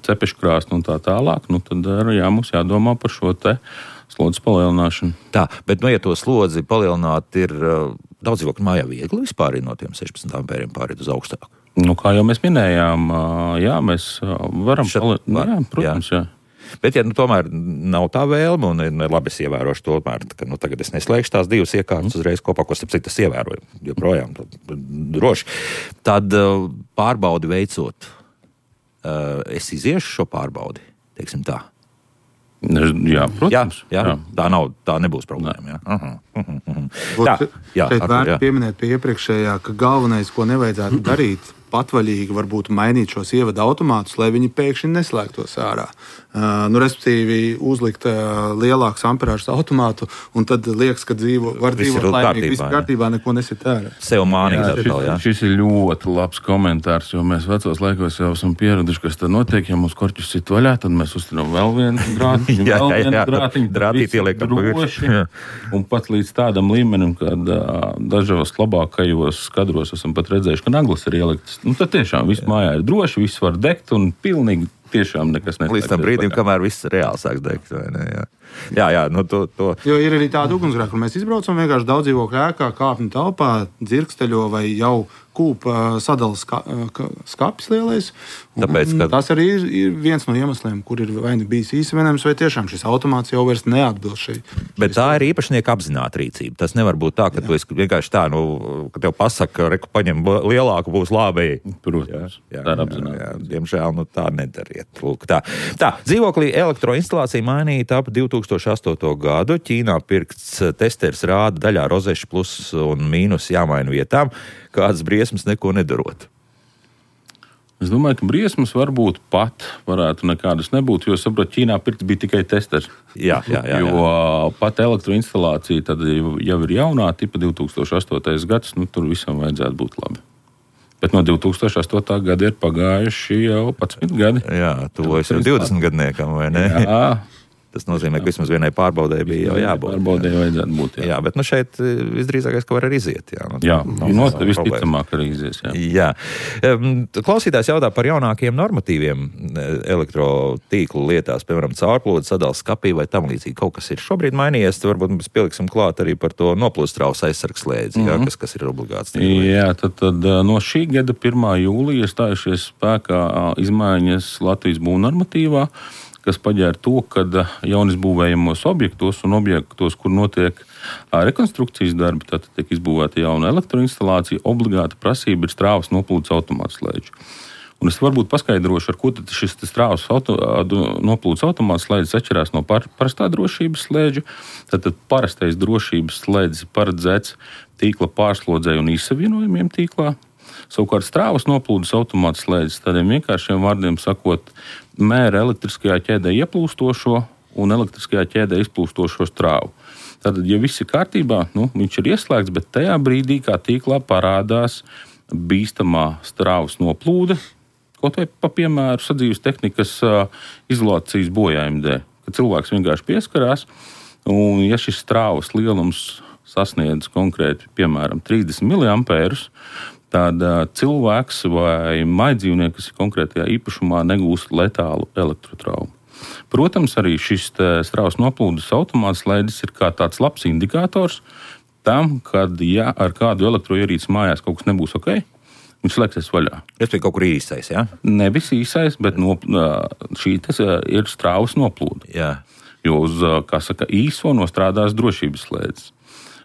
cepeškrāsnu un tā tālāk, tad mums jādomā par šo slodzes palielināšanu. Tā, bet ja to slodzi palielināt ir daudz dzīvokļu mājā viegli vispār no tiem 16 ampēriem pāriet uz augstāku? Kā jau mēs minējām, mēs varam protams, jā. Bet, ja tomēr nav tā vēlme, un labi es ievērošu to, ka tagad es neslēgšu tās divas iekārtas uzreiz kopā, ko starp citu es ievēroju, joprojām droši, tad pārbaudi veicot, es iziešu šo pārbaudi, teiksim tā. Jā, protams. Jā. Tā nebūs problēma. Šeit vērts pieminēt pie iepriekšējā, ka galvenais, ko nevajadzētu darīt, patvaļīgi varbūt mainīt šos ievada automātus, lai viņi pēkšņi neslēgtos ārā. Respektīvi, uzlikt lielāks amperāžas automātu, un tad liekas, ka var dzīvot laimīgi, viss kārtībā, neko nesit ārā. Sev mānīgi. Šis ir ļoti labs komentārs, jo mēs vecos laikos jau esam pieraduši, kas tad notiek, ja mums korķus sit vaļā, tad mēs uztinām vēl vienu grātiņu, grātīti ieliekam droši, un pat līdz tādam līmenim, kad dažos labākajos skadros esam pat redzējuši, ka naglas ir ieliktas. Tad tiešām viss mājā ir droši, viss var degt un pilnīgi tiešām nekas neslēgties. Līdz tam brīdim, kamēr viss reāli sāks degt, vai ne? Jā. To. Jo ir arī tāda ugunsgrēka, kur mēs izbraucam vienkārši daudz dzīvokļu ēkā, kāpņu telpā, dzirksteļo vai jau kūpa sadalas skapis lielais. Tāpēc, tas arī ir viens no iemesliem, kur ir vai bijis īsavienojums, vai tiešām šis automāts jau vairs neatbilst šai. Bet tā ir īpašnieka apzināta rīcība. Tas nevar būt tā, ka tu esi vienkārši tā, ka tev pasaka, reku paņem lielāku, būs labi. Protams, tā ir apzināta. Diemžēl tā nedariet. Lūk, tā, dzīvoklī elektroinstalācija mainīta ap 2008. gadu. Ķīnā pirkts testeris rāda daļā rozešu plus un mīnus jāmaina vietām. Kādas briesmas neko nedarot? Es domāju, ka briesmas varbūt pat varētu nekādas nebūt, jo, saprot, Ķīnā pirkts bija tikai testers. Jā. Jo pat elektroinstalācija tad jau ir jaunā tipa 2008. gads, tur visam vajadzētu būt labi. Bet no 2008. gada ir pagājuši jau 11 gadi. Jā, tuvojas jau 20 gadniekam, vai ne? Jā. Tas nozīmē, ka vismaz vienai pārbaudē bija jau jābūt. Pārbaudē vajadzētu būt, jā. Bet šeit visdrīzākais, ka var arī iziet. Visticamāk arī izies. Jā. Klausītājs jautā par jaunākiem normatīviem elektrotīklu lietās, piemēram, caurplūdu, sadalas skapī vai tam līdzīgi. Kaut kas ir šobrīd mainījies, varbūt mēs pieliksim klāt arī par to noplūstrausa aizsargs slēdzi, kas ir obligāts. Jā, tad no šī gada 1. jūlija stājušies spēkā izmaiņas Latvijas būvnormatīvā, kas paģēra to, ka jaunizbūvējamos objektos un objektos, kur notiek rekonstrukcijas darbi, tad tiek izbūvēta jauna elektroinstalācija, obligāta prasība ir strāvas noplūdes automātslēdži. Un es varbūt paskaidrošu, ar ko tad šis strāvas noplūdes automātslēdzis atšķirās no parastā drošības slēdža. Tad parastais drošības slēdzis paredzēts tīkla pārslodzei un izsavienojumiem tīklā. Savukārt strāvas noplūdes automātslēdzis, tādiem vienkāršiem vārdiem sakot, mēra elektriskajā ķēdē ieplūstošo un elektriskajā ķēdē izplūstošo strāvu. Tātad, ja viss ir kārtībā, viņš ir ieslēgts, bet tajā brīdī, kā tīklā parādās bīstamā strāvas noplūde, kaut vai pa piemēru sadzīves tehnikas izolācijas bojājuma dēļ, kad cilvēks vienkārši pieskarās, un ja šis strāvas lielums sasniedz konkrēti, piemēram, 30 mA, tad cilvēks vai maidzīvnieki, kas ir konkrētajā īpašumā, negūst letālu elektrotraumu. Protams, arī šis strāvas noplūdes automātslēdzis ir kā tāds labs indikators tam, kad, ja ar kādu elektroierīci mājās kaut kas nebūs ok, viņš slēgsies vaļā. Tas bija kaut kur īsais, jā? Nevis īsais, bet šī ir strāvas noplūde. Jā. Jo uz, kā saka, īso nostrādās drošības slēdzis.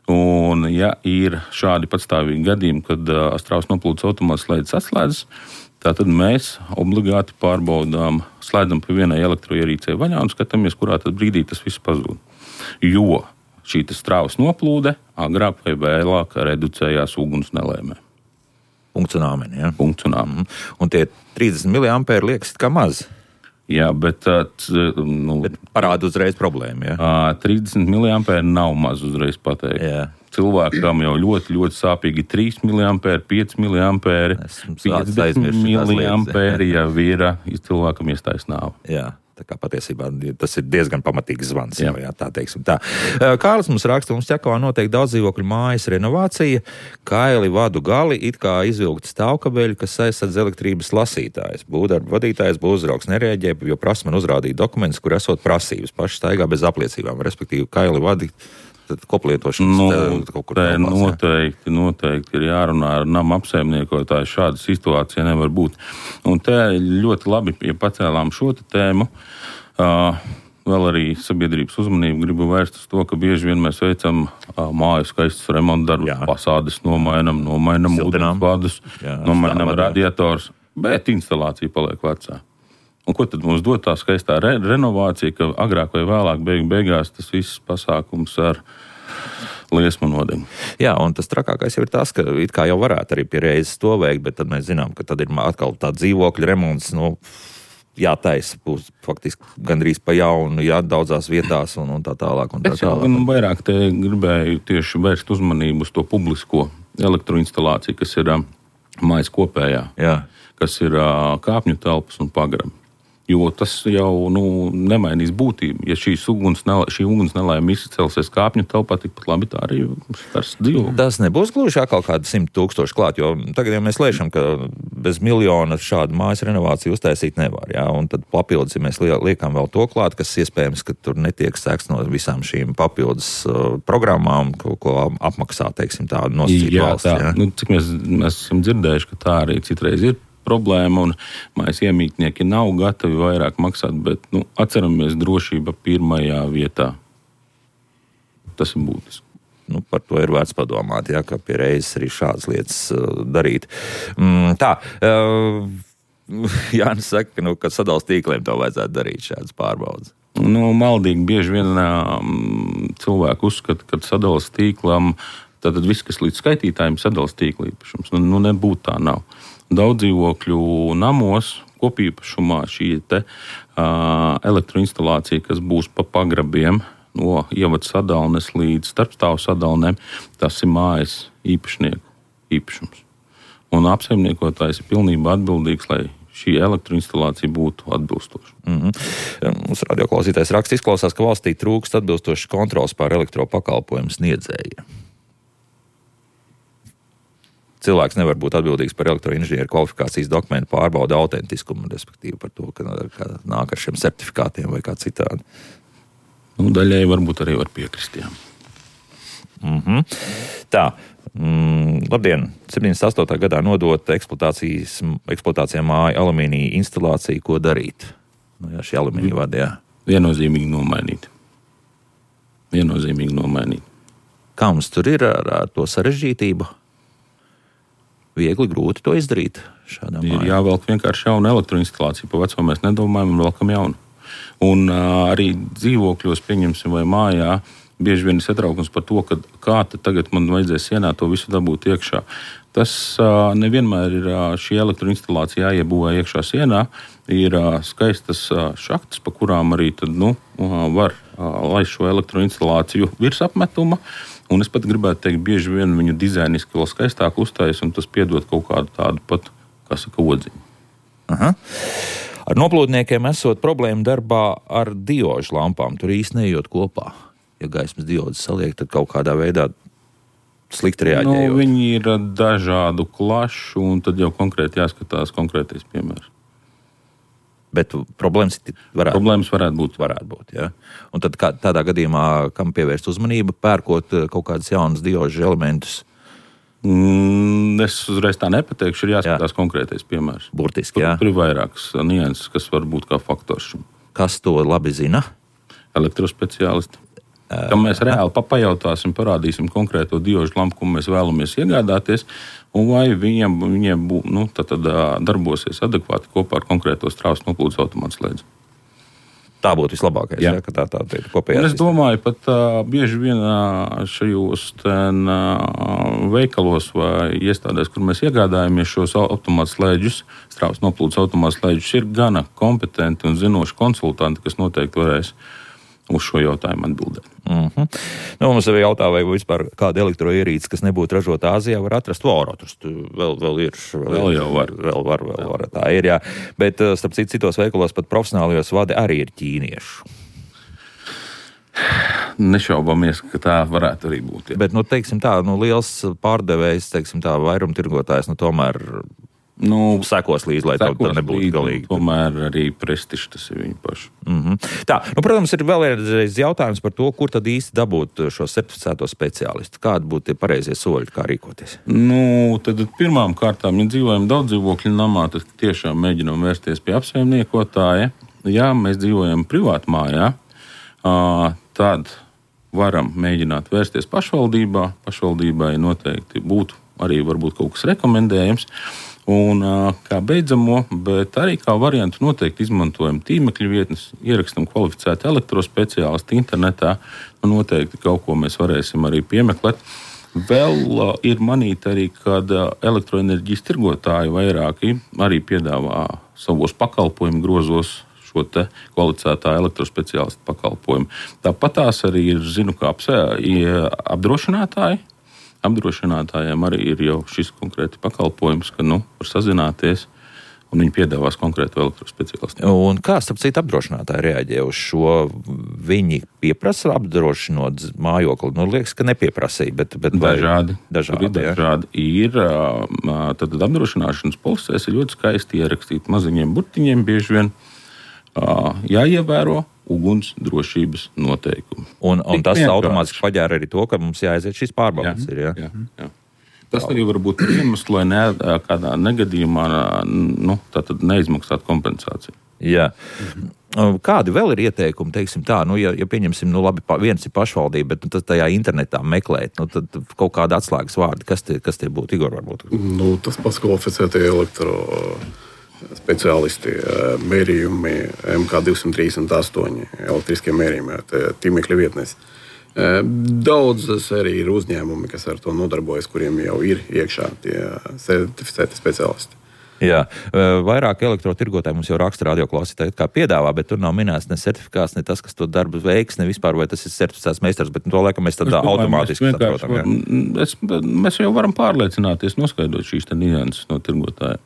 Un, ja ir šādi patstāvīgi gadījumi, kad strāvas noplūdes automāts slēdzis atslēdzas, tātad mēs obligāti pārbaudām, slēdzam pa vienai elektroierīcei vaļā un skatāmies, kurā tad brīdī tas viss pazūd. Jo šī strāvas noplūde agrāk vai vēlāk reducējās uguns nelēmē. Punkts un āmeni, jā? Punkts un āmeni. Un tie 30 mA liekas kā maz. Jā, bet parāda uzreiz problēmu, jā? 30 mA nav maz uzreiz pateikt. Jā. Cilvēkam jau ļoti, ļoti sāpīgi 3 mA, 5 mA, 50 mA jau ir cilvēkam iestājas nāve. Jā. Tā kā patiesībā tas ir diezgan pamatīgs zvans. Jā, tā teiksim tā. Kārlis mums raksta, mums Ķekavā notiek daudz dzīvokļu mājas renovācija, kaili vadu gali, it kā izvilkti stāvkabeļi, kas aizsadz elektrības lasītājs. Būvdarba vadītājs, būvuzraugs nereaģē, jo prasa man uzrādīt dokumentus, kur esot prasības. Paši staigā bez apliecībām, respektīvi kaili vadi. Tad koplietošanas kaut kur tālās, noteikti ir jārunā ar nama apsaimniekotāju. Šāda situācija nevar būt. Un te ļoti labi, ja pacēlām šo tēmu, vēl arī sabiedrības uzmanību gribu vērst uz to, ka bieži vien mēs veicam māju skaistus remontdarbus, fasādes nomainam ūdensvadus, nomainam radiators, bet instalācija paliek vecā. Un ko tad mums dod tā skaistā renovācija, ka agrāk vai vēlāk beigās tas viss pasākums ar liesmu nodegu? Jā, un tas trakākais jau ir tas, ka it kā jau varētu arī pie reizes to veikt, bet tad mēs zinām, ka tad ir atkal tā dzīvokļa remonts, jātaisa būs faktiski gandrīz pa jaunu, daudzās vietās un tā tālāk. Un tā tālāk. Es vairāk te gribēju tieši vērst uzmanību uz to publisko elektroinstalāciju, kas ir mājas kopējā, kas ir kāpņu telpas un pagrabi. Jo tas jau nemainīs būtību. Ja šī uguns nelaime izcelsies kāpņu telpā, tikpat labi tā arī skars dzīvokli. Tas nebūs gluži atkal kādi 100,000 klāt, jo tagad jau mēs lēšam, ka bez miljona šādu mājas renovāciju uztaisīt nevar. Jā? Un tad papildus, ja mēs liekam vēl to klāt, kas iespējams, ka tur netiek sekts no visām šīm papildus programmām, ko apmaksā, teiksim, tādu nosacīt valsts. Jā. Cik mēs esam dzirdējuši, ka tā arī citreiz ir problēma, un mājas iemītnieki nav gatavi vairāk maksāt, bet atceramies drošība pirmajā vietā. Tas ir būtiski. Par to ir vērts padomāt, ka pie reizes arī šādas lietas darīt. Jānis saka, ka sadals tīkliem to vajadzētu darīt šādas pārbaudas. Maldīgi bieži vien cilvēki uzskata, ka sadals tīklam, tad viss, kas līdz skaitītājiem sadals tīkla īpašums. Nebūtu tā nav. Daudz dzīvokļu namos kopīpašumā šī elektroinstalācija, kas būs pa pagrabiem no ievada sadalnes līdz starpstāvu sadalnēm, tas ir mājas īpašnieku īpašums. Un apsaimniekotājs ir pilnībā atbildīgs, lai šī elektroinstalācija būtu atbilstoša. Mums radioklausītājs raksts izklausās, ka valstī trūkst atbilstošas kontrols pār elektropakalpojumu sniedzējiem. Cilvēks nevar būt atbildīgs par elektroinženieru kvalifikācijas dokumentu pārbaudu autentiskumu, respektīvi par to, ka nāk ar šiem certifikātiem vai kā citādi. Daļai varbūt arī var piekrist, jā. Tā, labdien, 78. gadā nodota eksploatācijā māja alumīnija instalācija, ko darīt? Nu, jā, šie alumīnija vadi, jā. Viennozīmīgi nomainīt. Kā mums tur ir ar to sarežģītību? Viegli, grūti to izdarīt šādā mājā. Ir jāvelk vienkārši jauna elektroinstalācija. Pa veco mēs nedomājam un velkam jaunu. Un arī dzīvokļos, pieņemsim, vai mājā, bieži vien ir satraukums par to, ka kā tad tagad man vajadzēs sienā to visu dabūt iekšā. Tas nevienmēr ir šī elektroinstalācija jāiebūvē iekšā sienā. Ir skaistas šaktas, pa kurām arī tad, var laist šo elektroinstalāciju virs apmetuma. Un es pat gribētu teikt, bieži vien viņu dizainiski vēl skaistāk uztais, un tas piedod kaut kādu tādu pat, kā saka, odziņu. Aha. Ar noplūdniekiem esot problēma darbā ar diožu lampām. Tur īsti nejot kopā. Ja gaismas diodas saliek, tad kaut kādā veidā slikti reaģējot. Viņi ir dažādu klašu, un tad jau konkrēti jāskatās konkrētais piemērs. Bet problēmas varētu būt. Ja? Un tad tādā gadījumā, kam pievērst uzmanību, pērkot kaut kādas jaunas diožu elementus? Es uzreiz tā nepateikšu, ir jāskatās konkrētais piemērs. Burtiski, jā. Tur ir vairākas nianses, kas var būt kā faktors šim. Kas to labi zina? Elektrospeciālisti. Kam mēs reāli papajautāsim, parādīsim konkrēto diožu lampu, ko mēs vēlamies iegādāties, un vai viņiem darbosies adekvāti kopā ar konkrēto strāvas noplūdes automātu slēdzi. Tā būtu vislabākais, ja, ka tā ir kopējā. Es domāju, pat bieži vien šajos veikalos vai iestādēs, kur mēs iegādājamies šos automātu slēdžus, strāvas noplūdes automātu slēdžus, ir gana kompetenti un zinoši konsultanti, kas noteikti varēs uz šo jautājumu atbildēt. Mums arī jautā, vai vispār kāda elektroierīce, kas nebūtu ražota Āzijā, var atrast Vorotus. Vēl ir. Vēl jau var. Vēl tā ir, jā. Bet, starp citos veikalos, pat profesionālajos vadi arī ir ķīniešu. Nešaubamies, ka tā varētu arī būt. Jā. Bet, teiksim tā, liels pārdevējs, teiksim tā, vairumtirgotājs, tomēr sekos līdzi, lai tā nebūtu galīgi. Tomēr arī prestižs tas ir viņu pašu. Tā, protams, ir vēlreiz jautājums par to, kur tad īsti dabūt šo certificēto speciālistu. Kādi būtu tie pareizie soļi, kā rīkoties? Tad pirmām kārtām, ja dzīvojam daudz dzīvokļu namā, tad tiešām mēģinām vērsties pie apsaimniekotāja. Ja mēs dzīvojam privātu mājā, tad varam mēģināt vērsties pašvaldībā. Pašvaldībai noteikti būtu arī varbūt kaut kas rekomendējams. Un kā beidzamo, bet arī kā variantu noteikti izmantojam tīmekļa vietnes, ierakstam kvalificētu elektrospeciālistu internetā, un noteikti kaut ko mēs varēsim arī piemeklēt. Vēl ir manīt arī, kad elektroenerģijas tirgotāji vairāki arī piedāvā savos pakalpojumu grozos šo te kvalificētā elektrospeciālistu pakalpojumu. Tāpat tās arī ir, zinu, kā apdrošinātāji. Apdrošinātājiem arī ir jau šis konkrēti pakalpojums, ka var sazināties, un viņi piedāvās konkrētu elektrospeciālistu. Un kā, starp citu, apdrošinātāji reaģē uz šo? Viņi pieprasa apdrošinot mājokli? Liekas, ka nepieprasīja, bet dažādi. Ir tad apdrošināšanas polisēs ir ļoti skaisti ierakstīt maziņiem burtiņiem, bieži vien jāievēro uguns drošības noteikumi. Un tas automātiski paģēra arī to, ka mums jāaiziet šīs pārbaudes. Jā. Tas arī var būt iemesls, lai kādā negadījumā neizmaksātu kompensāciju. Jā. Kādi vēl ir ieteikumi, teiksim tā, ja pieņemsim, labi, viens ir pašvaldība, bet tad tajā internetā meklēt, tad kaut kāda atslēgas vārdi, kas tie būtu, Igor, varbūt? Tas pats kvalificētie speciālisti, mērījumi MK238, elektriskie mērījumi, tīmekļa vietnēs. Daudzas arī ir uzņēmumi, kas ar to nodarbojas, kuriem jau ir iekšā tie certificēti speciālisti. Jā, vairāk elektrotirgotāji mums jau raksta radioklausītāji, kā piedāvā, bet tur nav minēts ne certifikāts, ne tas, kas to darbu veiks, ne vispār, vai tas ir certificēts meistars, bet to laikam mēs tādā automātiski saprotam. Mēs jau varam pārliecināties, noskaidrot šīs nianses no tirgotāja.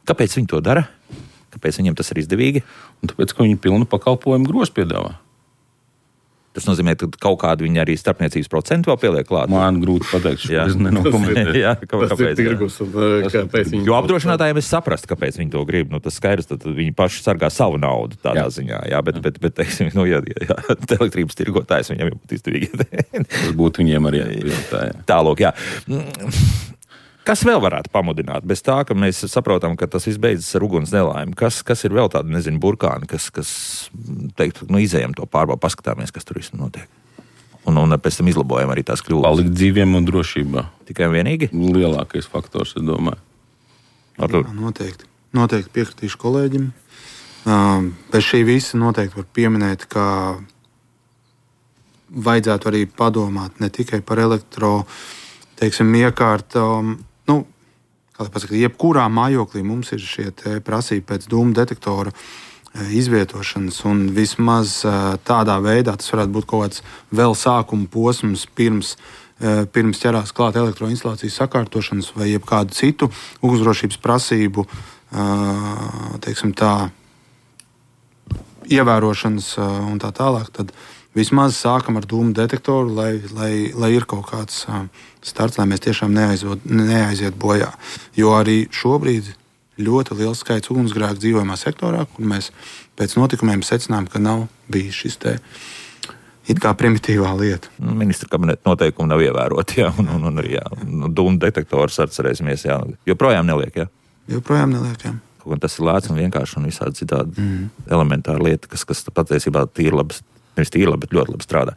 Kāpēc viņi to dara? Kāpēc viņiem tas ir izdevīgi? Tāpēc, ka viņi pilnu pakalpojumu grozu piedāvā. Tas nozīmē, ka kaut kādu viņi arī starpniecības procentu vēl pieliek klāt. Man grūti pateikt, es nenokomentēju. Kāpēc? Jo apdrošinātājiem es saprastu, kāpēc viņi to grib. Tas skaidrs, tad viņi paši sargā savu naudu tādā ziņā. Jā, bet teiksim, ja elektrības tirgotājs viņam būtu izdevīgi. Tas būtu viņiem arī jājautā. Tālūk, jā. Kas vēl varētu pamudināt? Bez tā, ka mēs saprotam, ka tas viss beidzas ar uguns nelaimi. Kas ir vēl tādi, nezinu, burkāni, kas teikt, izējam to pārbaudu, paskatāmies, kas tur viss notiek. Un pēc tam izlabojam arī tās kļūdas. Palikt dzīviem un drošībā. Tikai un vienīgi? Lielākais faktors, es domāju. Noteikti piekritīšu kolēģim. Bez šī visa noteikti var pieminēt, ka vajadzētu arī padomāt ne tikai par iekārtām. Kā lai pasaka, jebkurā mājoklī mums ir šie prasība pēc dūmu detektora izvietošanas, un vismaz tādā veidā tas varētu būt kaut kāds vēl sākuma posms pirms ķerās klāt elektroinstalācijas sakārtošanas vai jebkādu citu ugunsdrošības prasību ievērošanas un tā tālāk, tad vismaz sākam ar dūmu detektoru, lai ir kaut kāds starts, lai mēs tiešām neaiziet bojā. Jo arī šobrīd ļoti liels skaits ugunsgrēku dzīvojamā sektorā, kur mēs pēc notikumiem secinām, ka nav bijis šis it kā primitīvā lieta. Ministra kabineta noteikumi nav ievēroti, jā, un arī dūmu detektors atcerēsimies, jā, joprojām neliek, jā? Joprojām neliek, jā. Un tas ir lēts un vienkārši un visādi citādi elementāra lieta, kas patiesībā nevis tīri labi, bet ļoti labi strādā.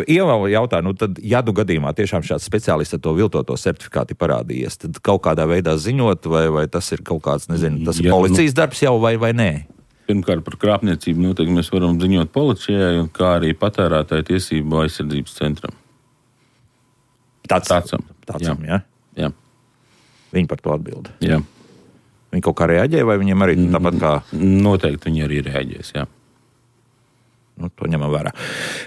Ieva jautā, tad, ja gadījumā tiešām šāds speciālists ar to viltoto certifikāti parādījies, tad kaut kādā veidā ziņot, vai tas ir kaut kāds, nezinu, tas ir policijas darbs jau vai nē? Pirmkārt, par krāpniecību noteikti mēs varam ziņot policijai, kā arī patērētāju tiesību aizsardzības centram. Tācam, jā? Jā. Viņi par to atbild. Jā. Viņi kaut kā reaģē, vai viņiem arī tāpat kā... Noteikti viņi arī reaģēs, jā. To ņemam vērā.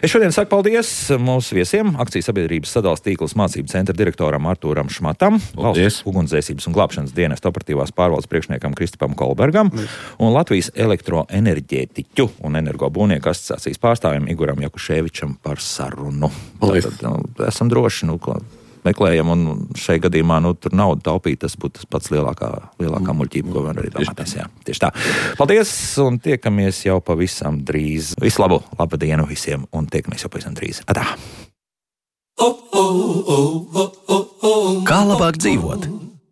Es šodien saku paldies mūsu viesiem, akcijas sabiedrības sadales tīkls mācību centra direktoram Artūram Šmatam, Valsts ugunsdzēsības un glābšanas dienesta operatīvās pārvaldes priekšniekam Kristipam Kolbergam un Latvijas elektroenerģētiķu un energobūvnieku asociācijas pārstāvjiem Iguram Jakuševičam par sarunu. Tad, esam droši, meklējam, un šai gadījumā tur naudu taupīt, tas būtu tas pats lielākā muļķība, ko var arī domāties. Jā. Tieši tā. Paldies, un tiekamies jau pavisam drīz. Visu labu, labu dienu visiem, un tiekamies jau pavisam drīz. Atā! Kā labāk dzīvot?